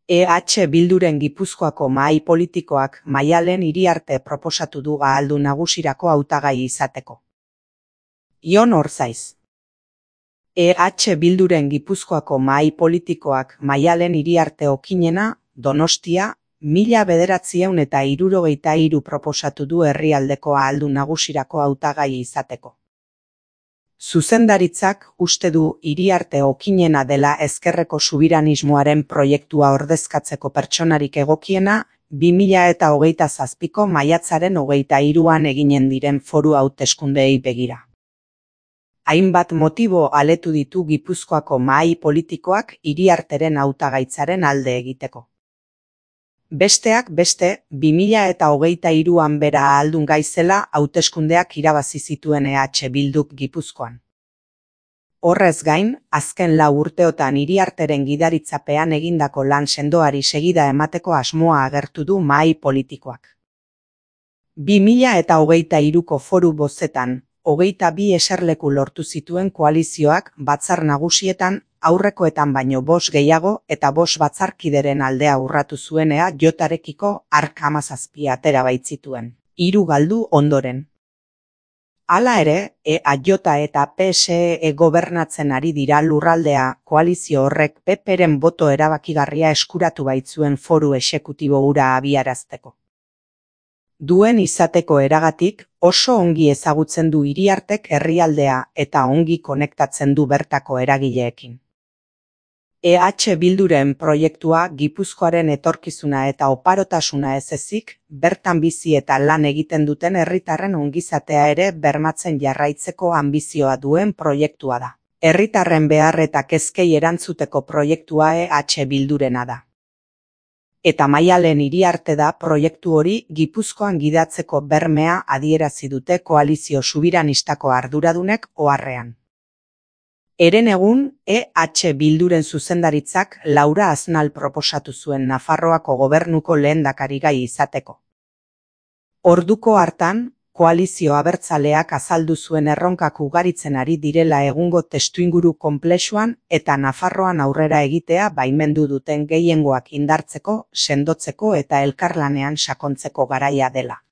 Bilduren Gipuzkoako mahai politikoak Maialen Iriarte proposatu du ahaldun nagusirako hautagai izateko. Jon Orzaiz. Bilduren Gipuzkoako mahai politikoak Maialen Iriarte Okinena, Donostia, 1973 proposatu du herrialdeko ahaldun nagusirako hautagai izateko. Zuzendaritzak uste du Iriarte Okinena dela ezkerreko subiranismoaren proiektua ordezkatzeko pertsonarik egokiena 2027ko maiatzaren 23an eginen diren foru hauteskundeei begira. Hainbat motibo aletu ditu Gipuzkoako mahai politikoak Iriarteren hautagaitzaren alde egiteko. Besteak beste, 2023an bera ahaldun gaizela hauteskundeak irabazi zituen Bilduk Gipuzkoan. Horrez gain, azken 4 urteotan Iriarteren gidaritzapean egindako lan sendoari segida emateko asmoa agertu du mahai politikoak. 2023ko foru bozetan, 22 eserleku lortu zituen koalizioak batzar nagusietan aurrekoetan baino 5 gehiago eta 5 batzarkideren aldea urratu zuenea Jotarekiko ark 17 atera baitzituen, 3 galdu ondoren. Hala ere, Jota eta PSE gobernatzen ari dira lurraldea, koalizio horrek PPren boto erabakigarria eskuratu baitzuen foru exekutibo hura abiarazteko. Duen izateko eragatik, oso ongi ezagutzen du Iriartek herrialdea eta ongi konektatzen du bertako eragileekin. Bilduren proiektua Gipuzkoaren etorkizuna eta oparotasuna ez ezik, bertan bizi eta lan egiten duten herritarren ongizatea ere bermatzen jarraitzeko anbizioa duen proiektua da. Herritarren behar eta kezkei erantzuteko proiektua Bildurena da. Eta Maialen Iriarte da proiektu hori Gipuzkoan gidatzeko bermea adierazi dute koalizio subiranistako arduradunek oharrean. Herenegun, Bilduren zuzendaritzak Laura Aznal proposatu zuen Nafarroako gobernuko lehendakarigai izateko. Orduko hartan, koalizio abertzaleak azaldu zuen erronkak ugaritzen ari direla egungo testuinguru konplexuan eta Nafarroan aurrera egitea baimendu duten gehiengoak indartzeko, sendotzeko eta elkarlanean sakontzeko garaia dela.